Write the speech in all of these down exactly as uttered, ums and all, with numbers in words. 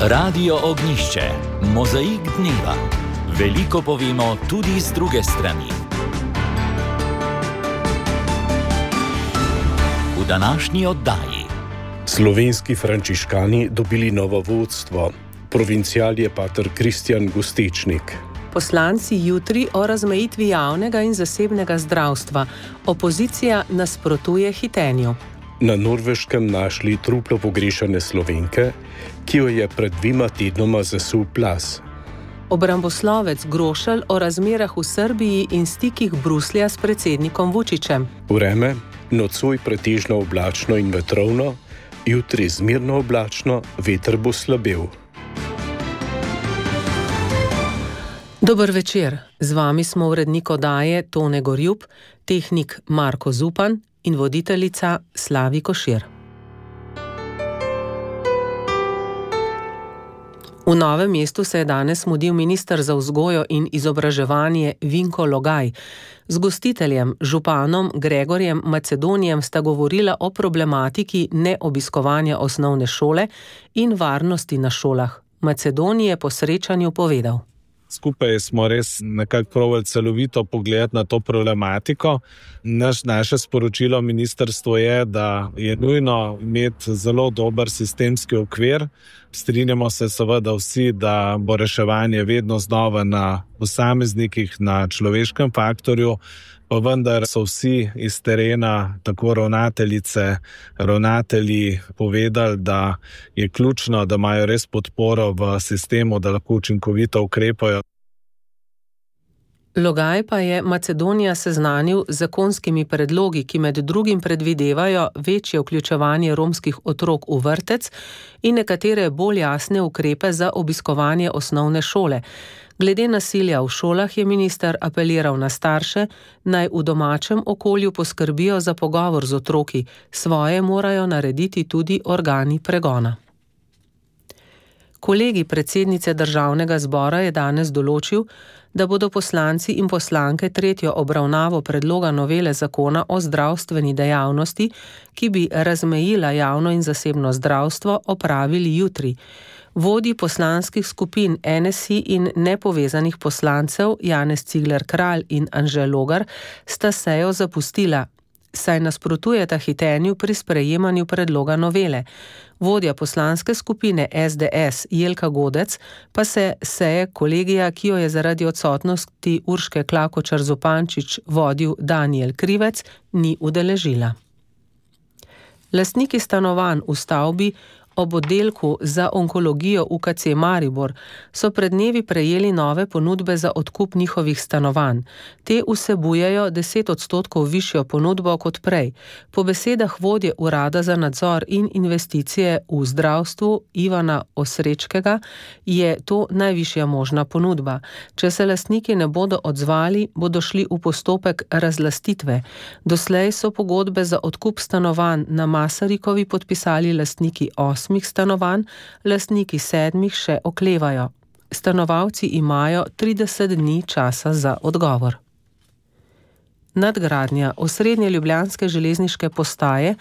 Radio Ognjišče, mozaik dneva. Veliko povemo tudi z druge strani. V današnji oddaji. Slovenski frančiškani dobili novo vodstvo. Provincial je pater Kristjan Gustečnik. Poslanci jutri o razmejitvi javnega in zasebnega zdravstva. Opozicija nasprotuje hitenju. Na Norveškem našli truplo pogrešane Slovenke, ki jo je pred dvima tednoma zasul plaz. Obramboslovec Grošelj o razmerah v Srbiji in stikih Bruslja s predsednikom Vučićem. Vreme, nocoj pretežno oblačno in vetrovno, jutri zmerno oblačno, veter bo slabel. Dober večer, z vami smo urednik oddaje Tone Gorjup, tehnik Marko Zupan in voditeljica Slavi Košir. V Novem mestu se je danes mudil minister za vzgojo in izobraževanje Vinko Logaj. Z gostiteljem, županom Gregorjem Macedonijem sta govorila o problematiki neobiskovanja osnovne šole in varnosti na šolah. Macedonij je po srečanju povedal. Skupaj smo res nekako probali celovito pogledati na to problematiko. Naš, naše sporočilo ministrstvu je, da je nujno imeti zelo dober sistemski okvir. Strinjamo se seveda vsi, da bo reševanje vedno znova na posameznikih, na človeškem faktorju, pa vendar so vsi iz terena, tako ravnateljice, ravnatelji povedali, da je ključno, da imajo res podporo v sistemu, da lahko učinkovito ukrepajo. Logaj pa je Macedonija seznanil z zakonskimi predlogi, ki med drugim predvidevajo večje vključevanje romskih otrok v vrtec in nekatere bolj jasne ukrepe za obiskovanje osnovne šole. Glede nasilja v šolah je minister apeliral na starše, naj v domačem okolju poskrbijo za pogovor z otroki, svoje morajo narediti tudi organi pregona. Kolegij predsednice Državnega zbora je danes določil, da bodo poslanci in poslanke tretjo obravnavo predloga novele zakona o zdravstveni dejavnosti, ki bi razmejila javno in zasebno zdravstvo, opravili jutri. Vodji poslanskih skupin N S I in nepovezanih poslancev Janez Cigler Kralj in Anže Logar sta sejo zapustila, saj nasprotujeta hitenju pri sprejemanju predloga novele. Vodja poslanske skupine S D S Jelka Godec pa se seje kolegija, ki jo je zaradi odsotnosti Urške Klakočar Zupančič vodil Danijel Krivec, ni udeležila. Lastniki stanovanj v stavbi ob oddelku za onkologijo U K C Maribor so pred dnevi prejeli nove ponudbe za odkup njihovih stanovanj. Te vsebujejo deset odstotkov višjo ponudbo kot prej. Po besedah vodje Urada za nadzor in investicije v zdravstvu Ivana Osrečkega je to najvišja možna ponudba. Če se lastniki ne bodo odzvali, bodo šli v postopek razlastitve. Doslej so pogodbe za odkup stanovanj na Masarikovi podpisali lastniki osmih stanovanj, lastniki sedmih še oklevajo. Stanovalci imajo trideset dni časa za odgovor. Nadgradnja osrednje ljubljanske železniške postaje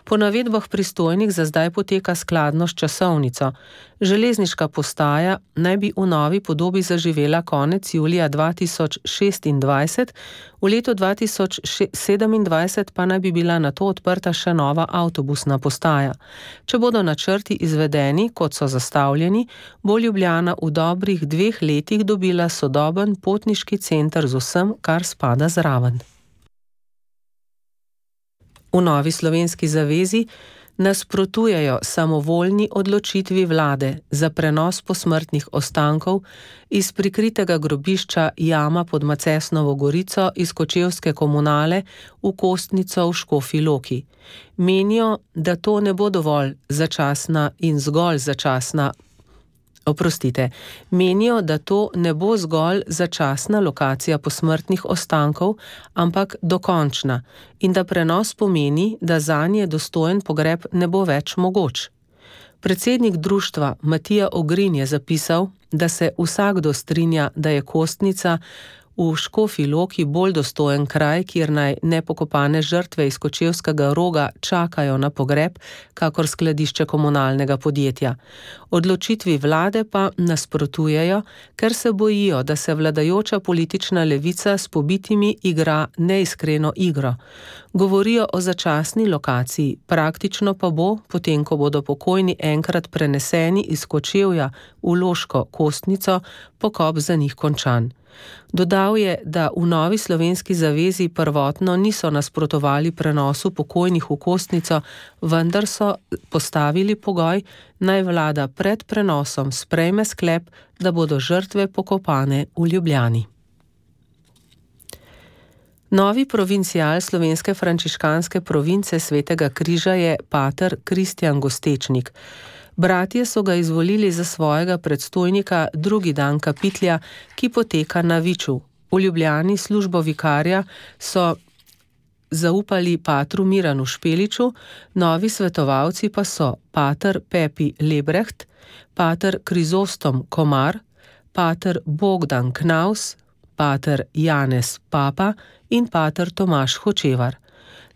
po navedbah pristojnih za zdaj poteka skladno s časovnico. Železniška postaja naj bi v novi podobi zaživela konec julija dva tisoč šestindvajset, v letu dva tisoč sedemindvajset pa naj bi bila nato odprta še nova avtobusna postaja. Če bodo načrti izvedeni, kot so zastavljeni, bo Ljubljana v dobrih dveh letih dobila sodoben potniški center z vsem, kar spada zraven. V Novi slovenski zavezi nasprotujejo samovoljni odločitvi vlade za prenos posmrtnih ostankov iz prikritega grobišča Jama pod Macesnovo Gorico iz kočevske komunale v Kostnico v Škofji Loki. Menijo, da to ne bo dovolj začasna in zgolj začasna Oprostite, menijo, da to ne bo zgolj začasna lokacija posmrtnih ostankov, ampak dokončna in da prenos pomeni, da zanje dostojen pogreb ne bo več mogoč. Predsednik društva Matija Ogrin je zapisal, da se vsakdo strinja, da je Kostnica v Škofji Loki bolj dostojen kraj, kjer naj nepokopane žrtve iz Kočevskega Roga čakajo na pogreb, kakor skladišče komunalnega podjetja. Odločitvi vlade pa nasprotujejo, ker se bojijo, da se vladajoča politična levica s pobitimi igra neiskreno igro. Govorijo o začasni lokaciji, praktično pa bo, potem ko bodo pokojni enkrat preneseni iz Kočevja v Loško Kostnico, pokop za njih končan. Dodal je, da v Novi slovenski zavezi prvotno niso nasprotovali prenosu pokojnih v Kostnico, vendar so postavili pogoj, naj vlada pred prenosom sprejme sklep, da bodo žrtve pokopane v Ljubljani. Novi provincial slovenske frančiškanske province Svetega križa je pater Kristjan Gostečnik. Bratje so ga izvolili za svojega predstojnika drugi dan kapitlja, ki poteka na Viču. V Ljubljani službo vikarja so zaupali patru Miranu Špeliču, novi svetovalci pa so pater Pepi Lebrecht, pater Krizostom Komar, pater Bogdan Knaus, pater Janez Papa in pater Tomaž Hočevar.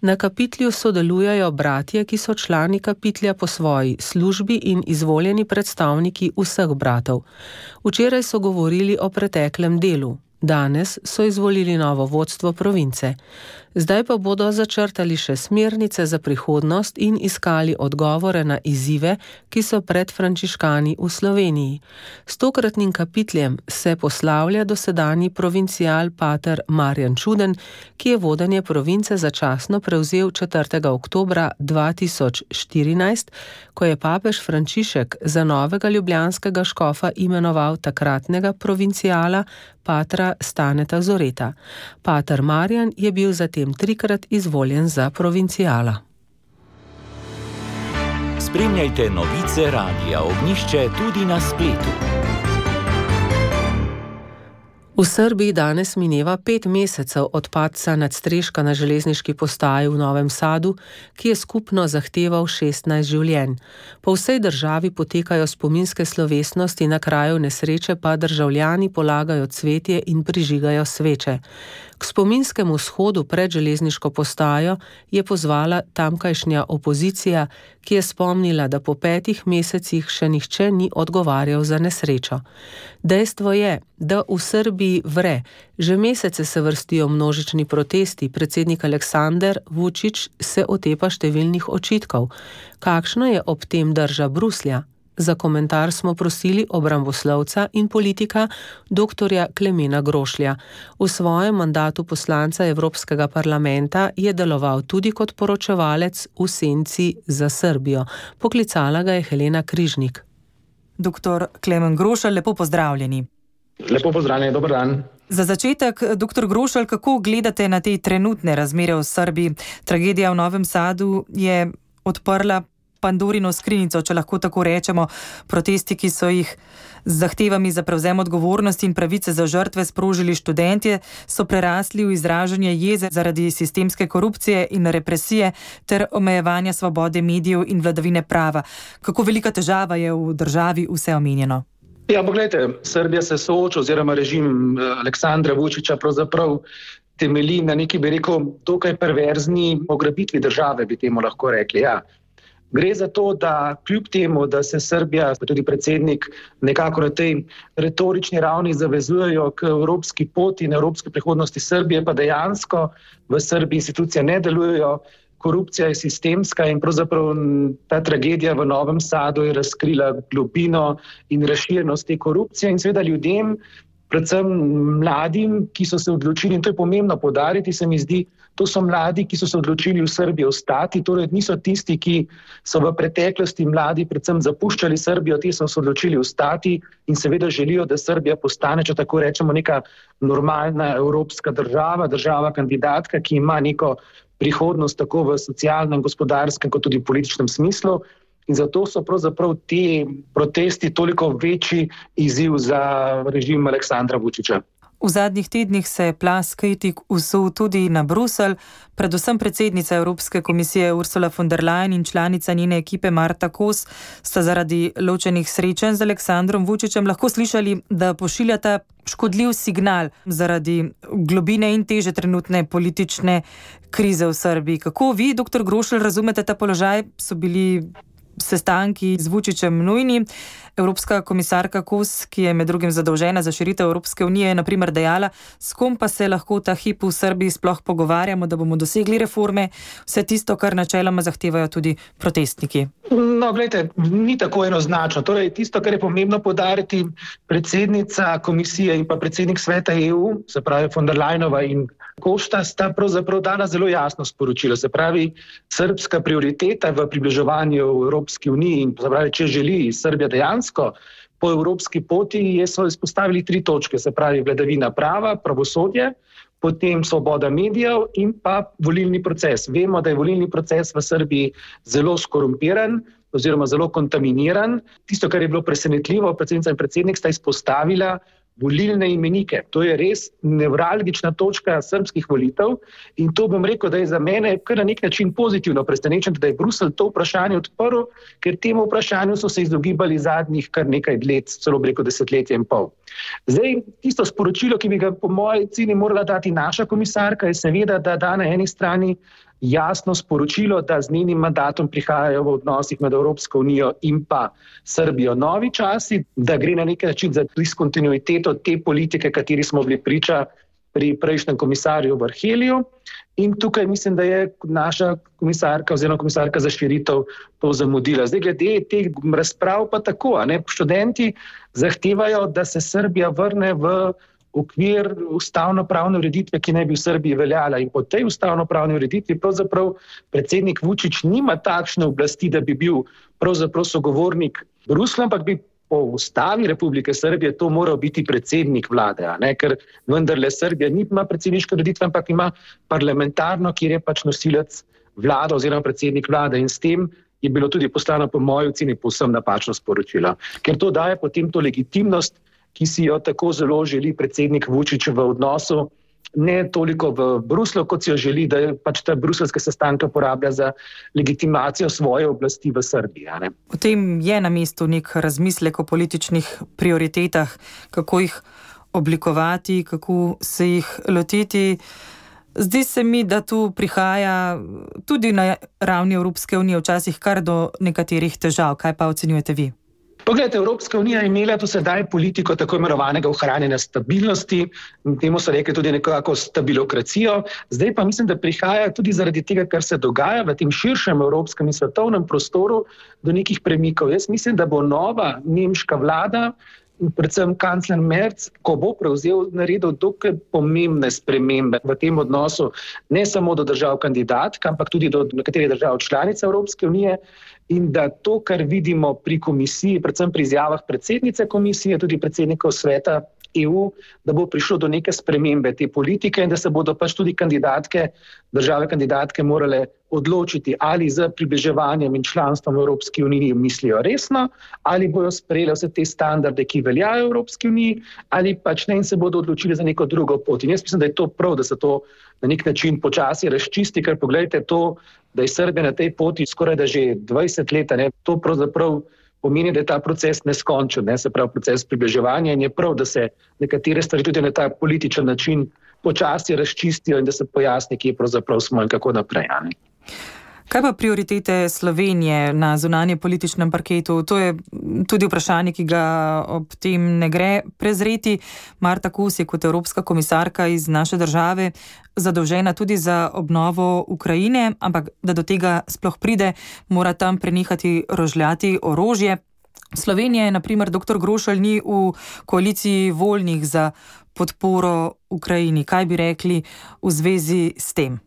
Na kapitlju sodelujejo bratje, ki so člani kapitlja po svoji službi in izvoljeni predstavniki vseh bratov. Včeraj so govorili o preteklem delu. Danes so izvolili novo vodstvo province. Zdaj pa bodo začrtali še smernice za prihodnost in iskali odgovore na izzive, ki so pred frančiškani v Sloveniji. S tokratnim kapitljem se poslavlja dosedanji provincial pater Marjan Čuden, ki je vodenje province začasno prevzel četrtega oktobra dva tisoč štirinajst, ko je papež Frančišek za novega ljubljanskega škofa imenoval takratnega provinciala patra Staneta Zoreta. Pater Marjan je bil zatem trikrat izvoljen za provinciala. Spremljajte novice Radia Ognjišče tudi na spletu. V Srbiji danes mineva pet mesecev od padca nadstreška na železniški postaji v Novem Sadu, ki je skupno zahteval šestnajst življenj. Po vsej državi potekajo spominske slovesnosti, na kraju nesreče pa državljani polagajo cvetje in prižigajo sveče. K spominskemu shodu pred železniško postajo je pozvala tamkajšnja opozicija, ki je spomnila, da po petih mesecih še nihče ni odgovarjal za nesrečo. Dejstvo je, da v Srbiji vre. Že mesece se vrstijo množični protesti, predsednik Aleksandar Vučić se otepa številnih očitkov. Kakšno je ob tem drža Bruslja? Za komentar smo prosili obramboslovca in politika doktorja Klemena Grošlja. V svojem mandatu poslanca Evropskega parlamenta je deloval tudi kot poročevalec v senci za Srbijo. Poklicala ga je Helena Križnik. Doktor Klemen Grošelj, lepo pozdravljeni. Lepo pozdravljeni, dober dan. Za začetek, doktor Grošelj, kako gledate na te trenutne razmere v Srbiji? Tragedija v Novem Sadu je odprla Pandorino skrinjico, če lahko tako rečemo. Protesti, ki so jih z zahtevami za prevzem odgovornosti in pravice za žrtve sprožili študentje, so prerasli v izražanje jeze zaradi sistemske korupcije in represije ter omejevanja svobode medijev in vladavine prava. Kako velika težava je v državi vse omenjeno? Ja, pogledajte, Srbija se sooča oziroma režim Aleksandra Vučića pravzaprav temelji na neki, bi rekel, dokaj perverzni pograbitvi države, bi temu lahko rekli, ja. Gre za to, da kljub temu, da se Srbija, pa tudi predsednik, nekako na tej retorični ravni zavezujejo k evropski poti in evropski prihodnosti Srbije, pa dejansko v Srbiji institucije ne delujejo, korupcija je sistemska in pravzaprav ta tragedija v Novem Sadu je razkrila globino in razširjenost te korupcije in seveda ljudem, predvsem mladim, ki so se odločili, in to je pomembno poudariti, se mi zdi, to so mladi, ki so se odločili v Srbiji ostati, torej niso tisti, ki so v preteklosti mladi predvsem zapuščali Srbijo, ti so se odločili ostati in seveda želijo, da Srbija postane, če tako rečemo, neka normalna evropska država, država kandidatka, ki ima neko prihodnost tako v socialnem, gospodarskem kot tudi političnem smislu. In zato so pravzaprav ti protesti toliko večji izziv za režim Aleksandra Vučića. V zadnjih tednih se je plaz kritik usul tudi na Bruselj, predvsem predsednica Evropske komisije Ursula von der Leyen in članica njene ekipe Marta Kos sta zaradi ločenih srečanj z Aleksandrom Vučićem lahko slišali, da pošiljata škodljiv signal zaradi globine in teže trenutne politične krize v Srbiji. Kako vi, doktor Grošelj, razumete ta položaj? So bili sestanki z Vučićem nujni? Evropska komisarka Kos, ki je med drugim zadolžena za širitev Evropske unije, je na primer dejala, s kom pa se lahko ta hip v Srbiji sploh pogovarjamo, da bomo dosegli reforme, vse tisto, kar načeloma zahtevajo tudi protestniki. No, gledajte, ni tako enoznačno. Torej, tisto, kar je pomembno poudariti, predsednica komisije in pa predsednik sveta E U, se pravi von der Leyenova in Kosta, sta pravzaprav dala zelo jasno sporočilo. Se pravi, srbska prioriteta v približevanju Evropski uniji in se pravi, če želi Srbija dejansko po evropski poti, so izpostavili tri točke, se pravi vladavina prava, pravosodje, potem svoboda medijev in pa volilni proces. Vemo, da je volilni proces v Srbiji zelo skorumpiran oziroma zelo kontaminiran. Tisto, kar je bilo presenetljivo, predsednica in predsednik sta izpostavila volilne imenike. To je res nevralgična točka srbskih volitev in to bom rekel, da je za mene kar na nek način pozitivno presenečen, da je Bruselj to vprašanje odprl, ker temu vprašanju so se izogibali zadnjih kar nekaj let, celo bi rekel desetletje in pol. Zdaj, tisto sporočilo, ki bi ga po moji oceni morala dati naša komisarka, je seveda, da da na eni strani jasno sporočilo, da z njenim mandatom prihajajo v odnosih med Evropsko unijo in pa Srbijo novi časi, da gre na nek način za diskontinuiteto te politike, kateri smo bili priča pri prejšnjem komisarju Varheliju. In tukaj mislim, da je naša komisarka oziroma komisarka za širitev to zamudila. Zdaj, glede teh razprav pa tako, a ne, študenti zahtevajo, da se Srbija vrne v okvir ustavno-pravne ureditve, ki naj bi v Srbiji veljala. In po tej ustavno-pravni ureditvi pravzaprav predsednik Vučić nima takšne oblasti, da bi bil pravzaprav sogovornik Bruslja, ampak bi po ustavi Republike Srbije to moral biti predsednik vlade, a ne? Ker vendarle Srbija nima predsedniške ureditve, ampak ima parlamentarno, kjer je pač nosilec vlade oziroma predsednik vlade in s tem je bilo tudi poslano po moji oceni povsem napačno sporočilo. Ker to daje potem to legitimnost, ki si jo tako zelo želi predsednik Vučić v odnosu, ne toliko v Bruslju, kot si jo želi, da pač ta bruseljske sestanke porablja za legitimacijo svoje oblasti v Srbiji. Ne? V tem je na mestu nek razmislek o političnih prioritetah, kako jih oblikovati, kako se jih lotiti. Zdi se mi, da tu prihaja tudi na ravni Evropske unije včasih kar do nekaterih težav. Kaj pa ocenjujete vi? Poglejte, Evropska unija je imela do sedaj politiko tako imenovanega ohranjanja stabilnosti, temu so rekli tudi nekako stabilokracijo, zdaj pa mislim, da prihaja tudi zaradi tega, kar se dogaja v tem širšem evropskem in svetovnem prostoru do nekih premikov. Jaz mislim, da bo nova nemška vlada, predvsem kancler Merz, ko bo prevzel, naredil dokaj pomembne spremembe v tem odnosu, ne samo do držav kandidatk, ampak tudi do nekaterih držav članic Evropske unije, in da to, kar vidimo pri komisiji, predvsem pri izjavah predsednice komisije, tudi predsednikov sveta E U, da bo prišlo do neke spremembe te politike in da se bodo pač tudi kandidatke, države kandidatke morale odločiti, ali z približevanjem in članstvom v Evropski uniji mislijo resno, ali bojo sprejeli vse te standarde, ki veljajo v Evropski uniji, ali pač ne in se bodo odločili za neko drugo pot. In jaz mislim, da je to prav, da se to na nek način počasi razčisti, ker pogledajte to, da je Srbija na tej poti skoraj da že dvajset let, ne, to pravzaprav pomeni, da je ta proces neskončen, ne, se pravi proces približevanja in je prav, da se nekatere stvari tudi na ta političen način počasi razčistijo in da se pojasni, kje pravzaprav smo in kako naprej. Ne. Kaj pa prioritete Slovenije na zunanje političnem parketu? To je tudi vprašanje, ki ga ob tem ne gre prezreti. Marta Kos je kot evropska komisarka iz naše države zadolžena tudi za obnovo Ukrajine, ampak da do tega sploh pride, mora tam prenehati rožljati orožje. Slovenija je, na primer, doktor Grošelj ni v koaliciji voljnih za podporo Ukrajini. Kaj bi rekli v zvezi s tem?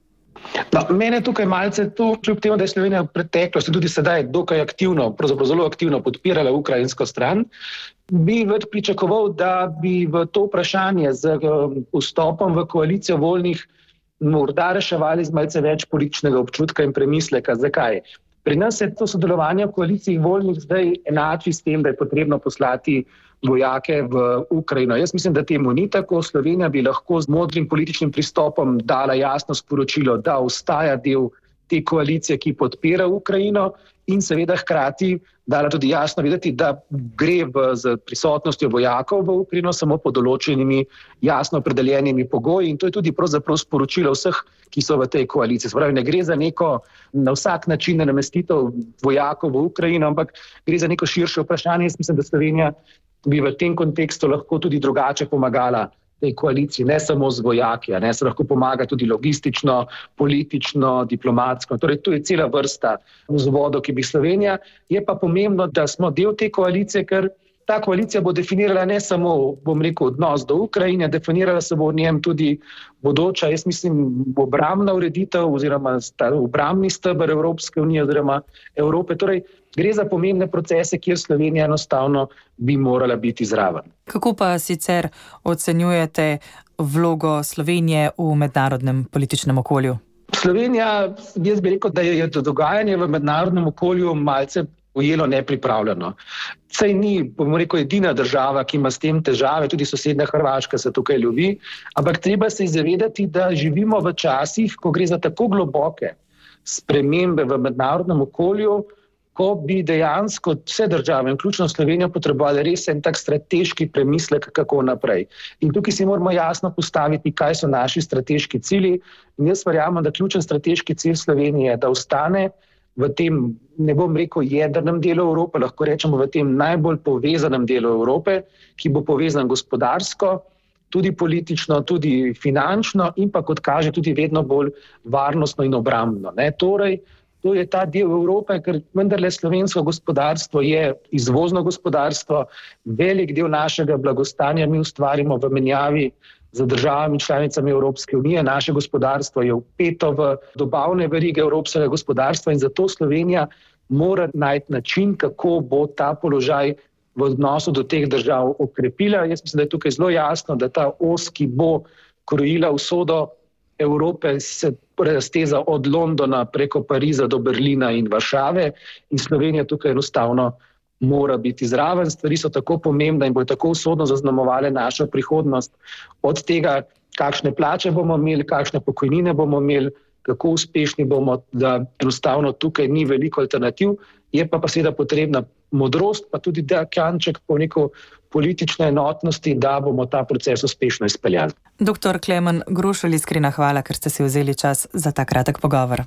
No, mene tukaj malce to, kljub temu, da je Slovenija v preteklosti tudi sedaj dokaj aktivno, pravzaprav zelo aktivno podpirala ukrajinsko stran, bi več pričakoval, da bi v to vprašanje z vstopom v koalicijo voljnih morda reševali z malce več političnega občutka in premisleka. Zakaj? Pri nas je to sodelovanje v koaliciji voljnih zdaj enači s tem, da je potrebno poslati vojake v Ukrajino. Jaz mislim, da temu ni tako. Slovenija bi lahko z modrim političnim pristopom dala jasno sporočilo, da ostaja del te koalicije, ki podpira Ukrajino, in seveda hkrati dala tudi jasno videti, da gre v, z prisotnostjo vojakov v Ukrajino samo pod določenimi jasno opredeljenimi pogoji, in to je tudi pravzaprav sporočilo vseh, ki so v tej koaliciji. Spravi, ne gre za neko na vsak način namestitev vojakov v Ukrajino, ampak gre za neko širše vprašanje. Jaz mislim, da Slovenija bi v tem kontekstu lahko tudi drugače pomagala tej koaliciji, ne samo z vojaki, ne, se lahko pomaga tudi logistično, politično, diplomatsko. Torej, tu je cela vrsta vzvodov, ki bi Slovenija. Je pa pomembno, da smo del te koalicije, ker ta koalicija bo definirala ne samo, bom rekel, odnos do Ukrajine, definirala se bo v njem tudi bodoča, jaz mislim, obrambna ureditev oziroma obrambni steber Evropske unije oziroma Evrope. Torej, gre za pomembne procese, kjer Slovenija enostavno bi morala biti zraven. Kako pa sicer ocenjujete vlogo Slovenije v mednarodnem političnem okolju? Slovenija, jaz bi rekel, da je dogajanje v mednarodnem okolju malce ujelo nepripravljeno. Saj ni, bomo rekel, edina država, ki ima s tem težave, tudi sosednja Hrvaška se tukaj ljubi, ampak treba se zavedati, da živimo v časih, ko gre za tako globoke spremembe v mednarodnem okolju, ko bi dejansko vse države, vključno Slovenijo, potrebovali res en tak strateški premislek, kako naprej. In tukaj si moramo jasno postaviti, kaj so naši strateški cilji. In jaz verjamem, da ključen strateški cilj Slovenije je, da ostane v tem, ne bom rekel, jedrnem delu Evrope, lahko rečemo v tem najbolj povezanem delu Evrope, ki bo povezan gospodarsko, tudi politično, tudi finančno in pa, kot kaže, tudi vedno bolj varnostno in obrambno. Ne? Torej, to je ta del Evrope, ker vendarle slovensko gospodarstvo je izvozno gospodarstvo, velik del našega blagostanja mi ustvarimo v menjavi z državami članicami Evropske unije. Naše gospodarstvo je vpeto v dobavne verige evropskega gospodarstva in zato Slovenija mora najti način, kako bo ta položaj v odnosu do teh držav okrepila. Jaz mislim, da je tukaj zelo jasno, da ta os, ki bo krojila usodo Evrope, se razteza od Londona preko Pariza do Berlina in Varšave in Slovenija tukaj enostavno mora biti zraven. Stvari so tako pomembne in bodo tako usodno zaznamovale našo prihodnost. Od tega, kakšne plače bomo imeli, kakšne pokojnine bomo imeli, kako uspešni bomo, da enostavno tukaj ni veliko alternativ. Je pa pa seveda potrebna modrost, pa tudi da kanček po neko politične enotnosti, da bomo ta proces uspešno izpeljali. Doktor Klemen Grošelj, iskrena hvala, ker ste si vzeli čas za ta kratek pogovor.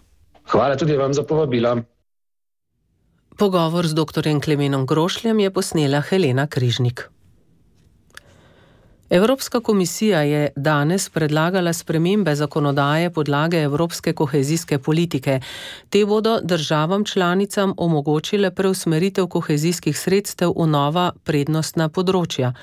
Hvala tudi vam za povabilo. Pogovor z doktorjem Klemenom Grošljem je posnela Helena Križnik. Evropska komisija je danes predlagala spremembe zakonodaje podlage evropske kohezijske politike. Te bodo državam članicam omogočile preusmeritev kohezijskih sredstev v nova prednostna področja.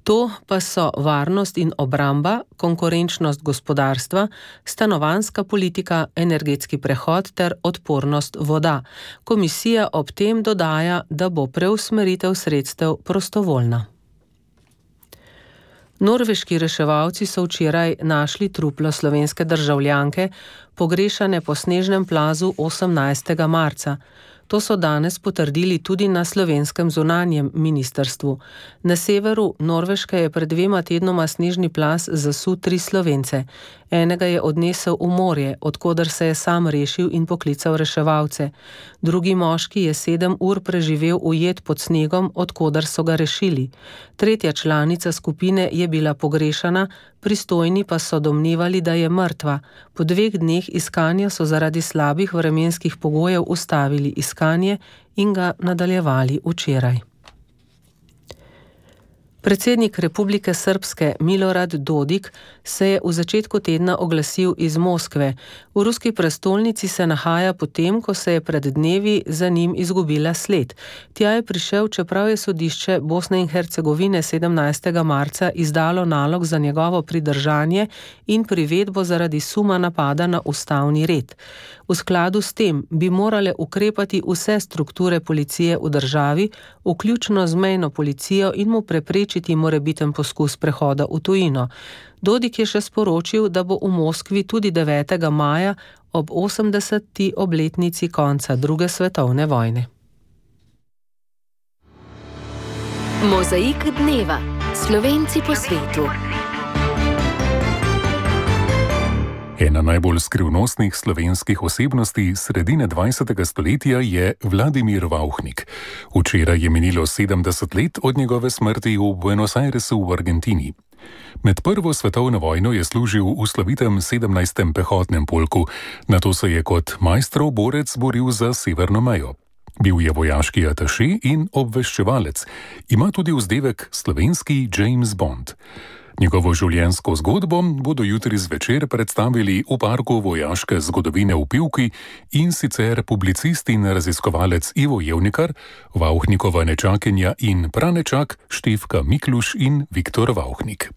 To pa so varnost in obramba, konkurenčnost gospodarstva, stanovanjska politika, energetski prehod ter odpornost voda. Komisija ob tem dodaja, da bo preusmeritev sredstev prostovoljna. Norveški reševalci so včeraj našli truplo slovenske državljanke, pogrešane po snežnem plazu osemnajstega marca. To so danes potrdili tudi na slovenskem zunanjem ministrstvu. Na severu Norveške je pred dvema tednoma snežni plaz zasul tri Slovence. Enega je odnesel v morje, odkoder se je sam rešil in poklical reševalce. Drugi moški je sedem ur preživel ujet pod snegom, odkoder so ga rešili. Tretja članica skupine je bila pogrešana, pristojni pa so domnevali, da je mrtva. Po dveh dneh iskanja so zaradi slabih vremenskih pogojev ustavili iskanje in ga nadaljevali včeraj. Predsednik Republike Srpske Milorad Dodik se je v začetku tedna oglasil iz Moskve. V ruski prestolnici se nahaja potem, ko se je pred dnevi za njim izgubila sled. Tja je prišel, čeprav je sodišče Bosne in Hercegovine sedemnajstega marca izdalo nalog za njegovo pridržanje in privedbo zaradi suma napada na ustavni red. V skladu s tem bi morale ukrepati vse strukture policije v državi, vključno z mejno policijo, in mu preprečiti morebiten poskus prehoda v tujino. Dodik je še sporočil, da bo v Moskvi tudi devetega maja ob osemdeseti obletnici konca druge svetovne vojne. Mozaik dneva. Slovenci po svetu. Ena najbolj skrivnostnih slovenskih osebnosti sredine dvajsetega stoletja je Vladimir Vauchnik. Včeraj je minilo sedemdeset let od njegove smrti v Buenos Airesu v Argentini. Med prvo svetovno vojno je služil v slovitem sedemnajstem pehotnem polku, nato se je kot majstrov borec boril za severno mejo. Bil je vojaški ataše in obveščevalec. Ima tudi vzdevek slovenski James Bond. Njegovo življenjsko zgodbo bodo jutri zvečer predstavili v parku vojaške zgodovine v Pivki, in sicer publicist in raziskovalec Ivo Jevnikar, Vauchnikova nečakinja in pranečak Štefka Mikluš in Viktor Vauchnik.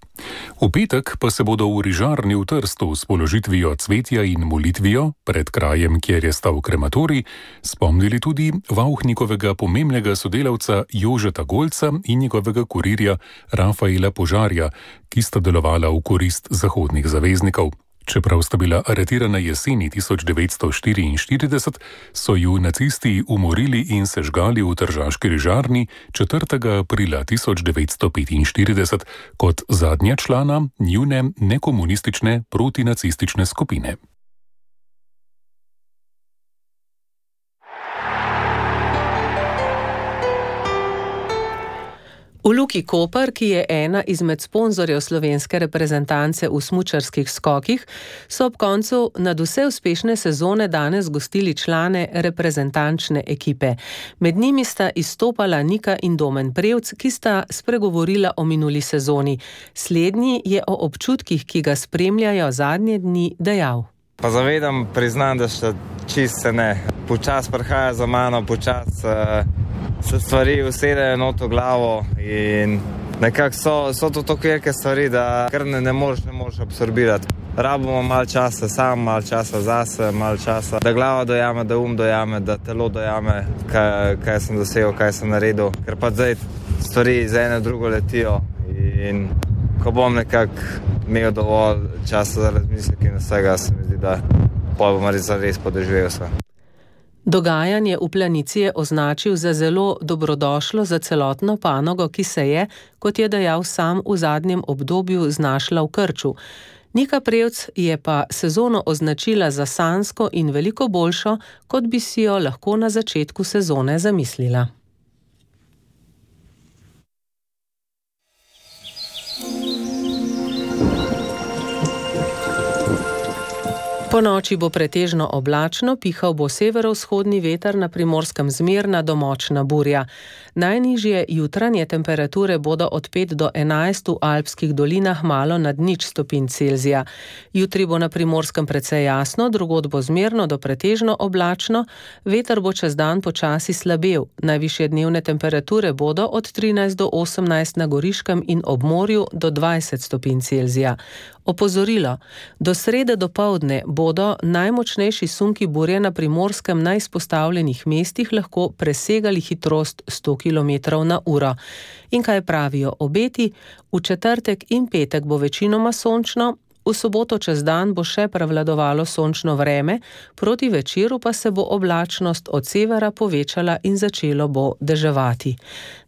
V petek pa se bodo v Rižarni v Trstu s položitvijo cvetja in molitvijo pred krajem, kjer je stal krematorij, spomnili tudi Vauchnikovega pomembnega sodelavca Jožeta Golca in njegovega kurirja Rafaela Požarja, ki sta delovala v korist zahodnih zaveznikov. Čeprav sta bila aretirana jeseni tisoč devetsto štiriinštirideset, so ju nacisti umorili in sežgali v tržaški Rižarni četrtega aprila tisoč devetsto petinštirideset kot zadnja člana njune nekomunistične protinacistične skupine. V Luki Koper, ki je ena izmed sponzorjev slovenske reprezentance v smučarskih skokih, so ob koncu nadvse uspešne sezone danes gostili člane reprezentančne ekipe. Med njimi sta izstopala Nika in Domen Prevc, ki sta spregovorila o minuli sezoni. Slednji je o občutkih, ki ga spremljajo zadnje dni, dejal. Pa zavedam, priznam, da še čist se ne. Počas prihaja za mano, počas uh, se stvari usedejo not v glavo in nekako so, so to tako velike stvari, da kar ne, ne moreš, ne moreš absorbirati. Rabimo malo časa sam, malo časa zase, malo časa, da glava dojame, da um dojame, da telo dojame, kaj, kaj sem dosegel, kaj sem naredil. Ker pa zdaj stvari za eno drugo letijo in ko bom nekako imel dovolj časa za razmislek in vsega, se mi zdi, da pol bom res podoživel se. Dogajanje v Planici je označil za zelo dobrodošlo za celotno panogo, ki se je, kot je dejal sam, v zadnjem obdobju znašla v krču. Nika Prevc je pa sezono označila za sanjsko in veliko boljšo, kot bi si jo lahko na začetku sezone zamislila. Po noči bo pretežno oblačno, pihal bo severovzhodni veter, na Primorskem zmerna do močna burja. Najnižje jutranje temperature bodo od pet do enajst, v alpskih dolinah malo nad nič stopinj Celzija. Jutri bo na Primorskem precej jasno, drugod bo zmerno do pretežno oblačno, veter bo čez dan počasi slabel. Najvišje dnevne temperature bodo od trinajst do osemnajst na Goriškem in ob morju do dvajset stopinj Celzija. Opozorilo. Do srede dopoldne bodo najmočnejši sunki burje na Primorskem na izpostavljenih mestih lahko presegali hitrost sto kilometrov na uro. In kaj pravijo obeti? V četrtek in petek bo večinoma sončno, v soboto čez dan bo še prevladovalo sončno vreme, proti večeru pa se bo oblačnost od severa povečala in začelo bo deževati.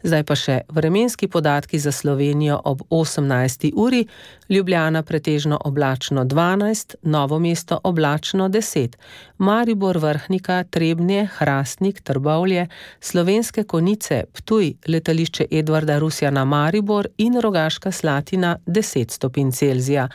Zdaj pa še vremenski podatki za Slovenijo ob osemnajsti uri. Ljubljana pretežno oblačno dvanajst, Novo mesto oblačno deset, Maribor, Vrhnika, Trebnje, Hrastnik, Trbovlje, Slovenske Konjice, Ptuj, letališče Edvarda Rusjana Maribor in Rogaška Slatina deset stopinj Celzija.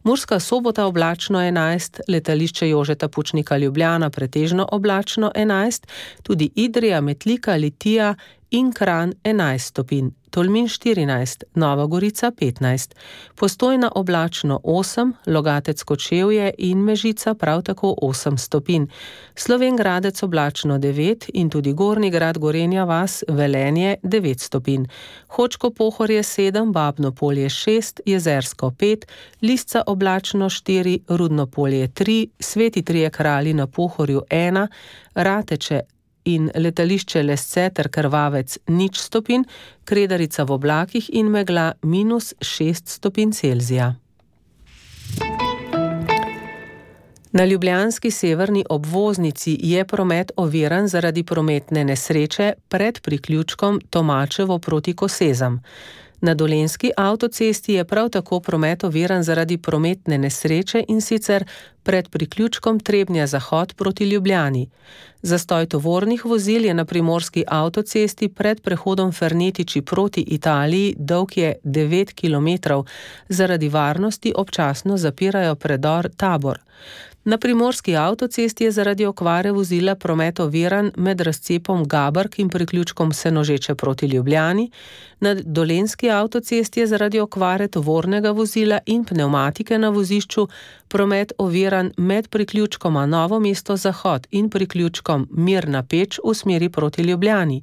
Murska Sobota oblačno enajst, letališče Jožeta Pučnika Ljubljana pretežno oblačno enajst, tudi Idrija, Metlika, Litija in Kranj enajst stopinj, Tolmin štirinajst, Nova Gorica petnajst, Postojna oblačno osem, Logatec Kočevje in Mežica prav tako osem stopinj, Slovenj Gradec oblačno devet in tudi Gornji Grad, Gorenja vas, Velenje devet stopinj, Hočko Pohorje sedem, Babno Polje šest, Jezersko pet, Lisca oblačno štiri, Rudno Polje tri, Sveti Trije Kralji na Pohorju ena, Rateče in letališče Lesce ter Krvavec nič stopinj, Kredarica v oblakih in megla minus šest stopinj Celzija. Na ljubljanski severni obvoznici je promet oviran zaradi prometne nesreče pred priključkom Tomačevo proti Kosezam. Na dolenjski avtocesti je prav tako promet oviran zaradi prometne nesreče in sicer pred priključkom Trebnja-Zahod proti Ljubljani. Zastoj tovornih vozil je na primorski avtocesti pred prehodom Fernetiči proti Italiji, dolg je devet kilometrov. Zaradi varnosti občasno zapirajo predor Tabor. Na primorski avtocesti je zaradi okvare vozila promet oviran med razcepom Gabrk in priključkom Senožeče proti Ljubljani. Na dolenjski avtocesti je zaradi okvare tovornega vozila in pnevmatike na vozišču promet oviran med priključkoma Novo mesto Zahod in priključkom Mirna Peč v smeri proti Ljubljani.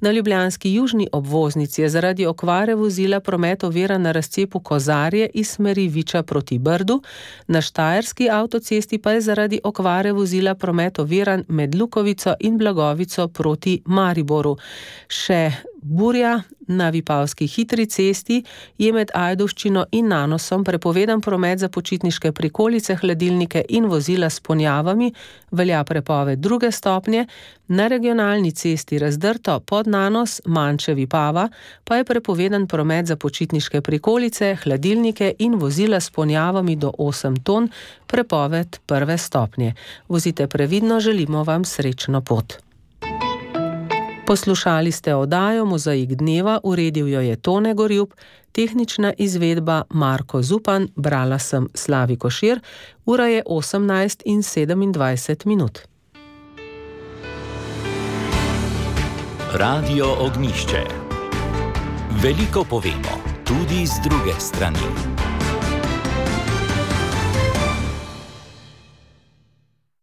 Na ljubljanski južni obvoznici je zaradi okvare vozila promet oviran na razcepu Kozarje iz smeri Viča proti Brdu, na štajerski avtocesti pa je zaradi okvare vozila promet oviran med Lukovico in Blagovico proti Mariboru. Še burja na Vipavski hitri cesti je med Ajdovščino in Nanosom prepovedan promet za počitniške prikolice, hladilnike in vozila s ponjavami, velja prepoved druge stopnje. Na regionalni cesti Razdrto pod Nanos, Manče Vipava pa je prepovedan promet za počitniške prikolice, hladilnike in vozila s ponjavami do osem ton, prepoved prve stopnje. Vozite previdno, želimo vam srečno pot. Poslušali ste oddajo Mozaik dneva, uredil jo je Tone Gorjup, tehnična izvedba Marko Zupan, brala sem Slavi Košir, ura je osemnajst in sedemindvajset minut. Radio Ognjišče. Veliko povemo, tudi z druge strani.